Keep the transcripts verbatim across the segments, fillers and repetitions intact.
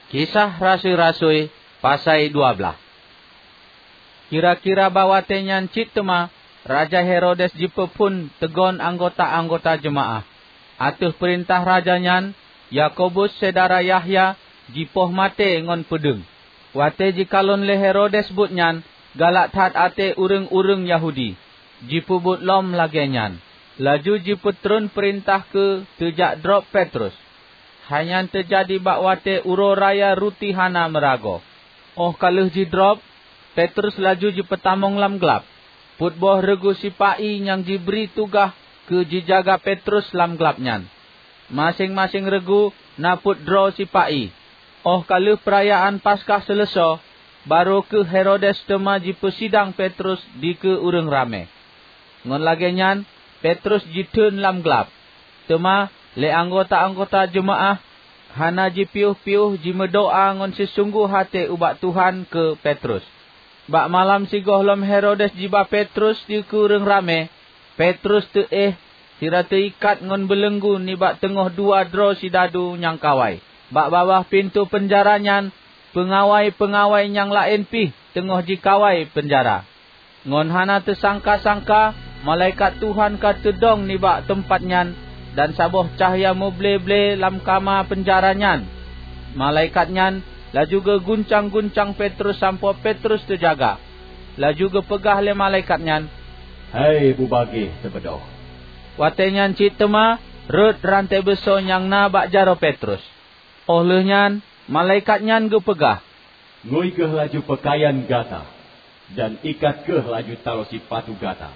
Kisah Rasui-rasui, pasai dua blaih. Kira-kira bak watée nyan cit teuma Raja Herodes jipeuphon teugon anggota-anggota jeumaáh. Ateueh peurintah raja nyan, Yakobus syedara Yahya jipoh maté ngon peudeueng. Watée jikalon lé Herodes buet nyan, galak that até ureuëng-ureuëng Yahudi. Jipeubuet lom lagée nyan, laju jipeutreun peurintah keu teujak drob Petrus. Hai nyan teujadi bak watée uroe raya ruti hana meuragoe. Óh ka lheueh jidrob, Petrus laju jipeutamong lam glab. Peuet boh reugu sipa-i nyang jibri tugaih keu jijaga Petrus lam glab nyan. Maséng-maséng reugu na peuet droe sipa-i. Óh ka lheueh peurayaan Paskah seuleusoe, barô kheueh Herodes teuma jipeusidang Petrus dikeue ureuëng ramé. Ngon lagée nyan, Petrus jitheun lam glab. Teuma lé anggota-anggota jeumaáh hana jipiyôh-piyôh jimeudoá ngon sisunggoh até ubak Tuhan keu Petrus. Bak malam sigohlom Herodes jiba Petrus dikeue ureuëng ramé, Petrus teuéh sira teuikat ngon beuleunggu nibak teungoh dua droe sidadu nyang kawai. Bak babah pintoe peunjara nyan, peungawai-peungawai nyang laén pih teungoh jikawai peunjara. Ngon hana teusangka-sangka, malaikat Tuhan ka teudong nibak teumpat nyan, dan saboh cahya muble-ble lam kama peunjara nyan. Malaikat nyan laju geuguncang-guncang Petrus sampoe Petrus teujaga. Laju geupeugah lé malaikat nyan, "Hai bubagéh teubeudôh!" Watée nyan cit teuma rhot ranté beusoe nyang na bak jaroe Petrus. Óh lheueh nyan, malaikat nyan geupeugah, "Ngui kheueh laju peukayan gata, dan ikat kheueh laju taloe sipatu gata."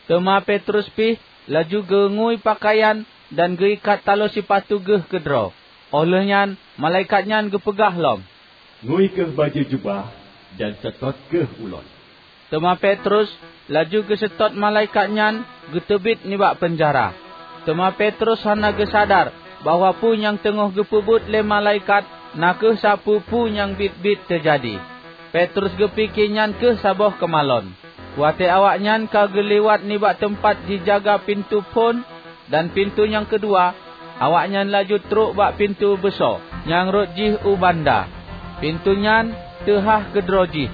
Teuma Petrus pih laju geungui peukayan dan geuikat taloe sipatu geuh keudroe. Óh lheueh nyan, malaikat nyan geupeugah lom, "Ngui kheueh bajée jubah dan seutôt kheueh ulôn." Teuma Petrus laju geuseutôt malaikat nyan geuteubiet nibak peunjara. Teuma Petrus hana geusadar bahwa peue nyang teungoh geupeubuet lé malaikat na kheueh sapeue-peue nyang biet-biet teujadi. Petrus geupike nyan kheueh saboh keumalon. Watée awaknyan ka geuliwat nibak teumpat jijaga pintoe phon, dan pintoe nyang keudua, awaknyan laju trok bak pintoe beusoe nyang rhot jih u banda. Pintoe nyan teuhah keudroe jih,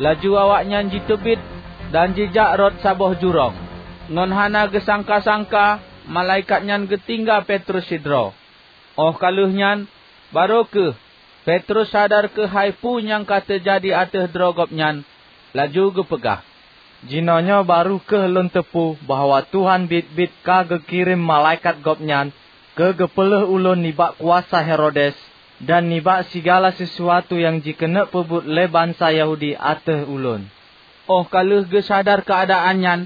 laju awaknyan jiteubiet dan jijak rot saboh jurông. Ngon hana geusangka-sangka, malaikat nyan geutinggai Petrus sidroe. Óh ka lheueh nyan, barô kheueh Petrus sadar keuhai peue nyang ka teujadi ateueh droe gobnyan, laju geupeugah, "Jinoenyoe barô kheueh lôn teupeu bahwa Tuhan biet-biet ka geukirém malaikat Gobnyan keu geupeulheueh ulôn nibak kuasa Herodes dan nibak sigala sisuatu nyang jikeuneuk peubuet lé bansa Yahudi ateueh ulôn." Óh ka lheueh geusadar keuadaan nyan,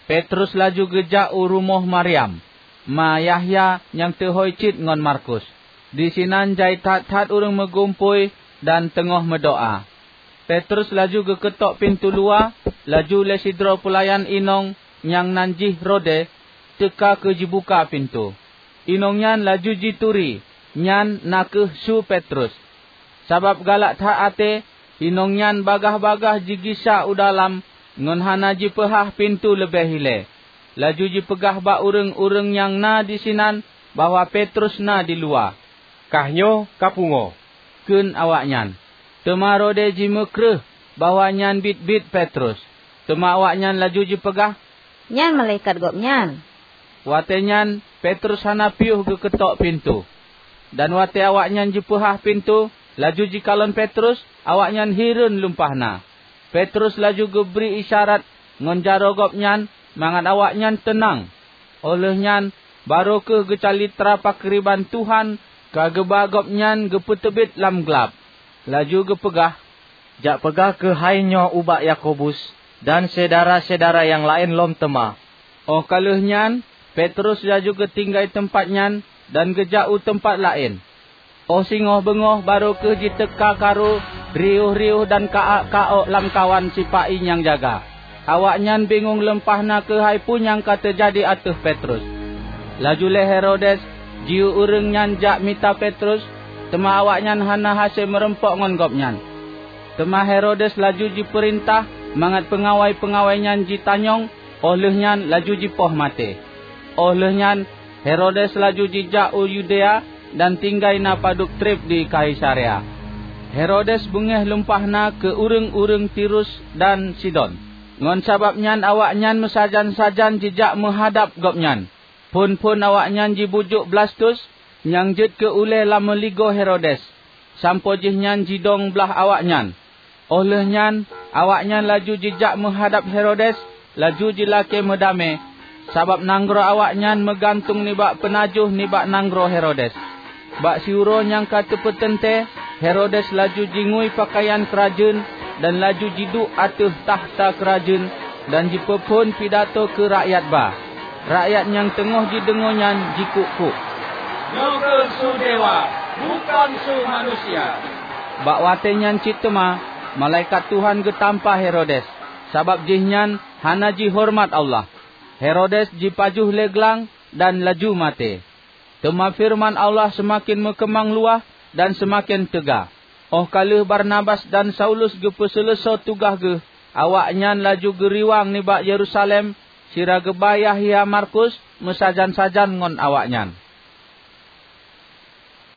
Petrus laju geujak u rumoh Maryam, ma Yahya nyang teuhôi cit ngon Markus. Disinan jai that-that ureuëng meugumpôi dan teungoh meudoá. Petrus laju geukeutôk pintoe luwa, laju lé sidroe peulayan inong nyang nan jih Rode teuka keu jibuka pintoe. Inong nyan laju jituri nyan na kheueh su Petrus. Sabab galak that até, inong nyan bagaih-bagaih jigisa u dalam ngon hana jipeuhah pintoe leubeh ilée. Laju jipeugah bak ureuëng-ureuëng nyang na disinan bahwa Petrus na diluwa. "Kah nyoe kapungoe," kheun awaknyan. Teuma Rode jimeukreueh bahwa nyan biet-biet Petrus. Teuma awaknyan laju jipeugah, "Nyan malaikat gobnyan." Watée nyan Petrus hana piôh geukeutôk pintoe. Dan watée awaknyan jipeuhah pintoe, laju jikalon Petrus, awaknyan hireuen lumpah na. Petrus laju geubri isyarat ngon jaroe gobnyan mangat awaknyan teunang. Óh lheueh nyan, barô kheueh geucalitra pakriban Tuhan ka geuba gobnyan geupeuteubiet lam glab. Laju geupeugah, "Jak peugah keuhai nyoe ubak Yakobus dan syedara-syedara nyang laén lom teuma." Óh ka lheueh nyan, Petrus laju geutinggai teumpat nyan dan geujak u teumpat laén. Óh singoh beungoh barô kheueh jiteuka karu riôh-riôh dan ka-ak ka-ok lamkawan sipa-i nyang jaga. Awaknyan bingong leumpah na keuhai peue nyang ka teujadi ateueh Petrus. Laju lé Herodes jiyue ureuëng nyan jak mita Petrus, teuma awaknyan hana hase meurumpok ngon gobnyan. Teuma Herodes laju jipeurintah mangat peungawai-peungawai nyan jitanyong, óh lheueh nyan laju jipoh maté. Óh lheueh nyan Herodes laju jijak u Yudea dan tinggai na padub treb di Kaisarea. Herodes beungéh lumpah na keu ureuëng-ureuëng Tirus dan Sidon. Ngon sabab nyan awaknyan meusajan-sajan jijak meuhadab gobnyan. Phon-phon awaknyan jibujuk Blastus nyang jeuet keu ulée lam meuligoe Herodes, sampoe jihnyan jidong blaih awaknyan. Óh lheueh nyan, awaknyan laju jijak meuhadab Herodes, laju jilakée meudamé, sabab nanggroe awaknyan meugantung nibak peunajoh nibak nanggroe Herodes. Bak siuroe nyang ka teupeuteuntée, Herodes laju jingui peukayan keurajeuen dan laju jiduek ateueh takhta keurajeuen dan jipeuphon pidato keu rakyat ba. Rakyat nyang teungoh jideungoe nyan jikuk-kuk, "Nyoe kheueh su dewa, bukon su manusia!" Bak watée nyan cit teuma, malaikat Tuhan geutampa Herodes, sabab jihnyan hana jihoreumat Allah. Herodes jipajoh lé glang dan laju maté. Teuma feureuman Allah seumaken meukeumang luwah dan seumaken teuga. Óh ka lheueh Barnabas dan Saulus geupeuseuleusoe tugaih geuh, awaknyan laju geuriwang nibak Yerusalem sira geuba Yahya Markus meusajan-sajan ngon awaknyan.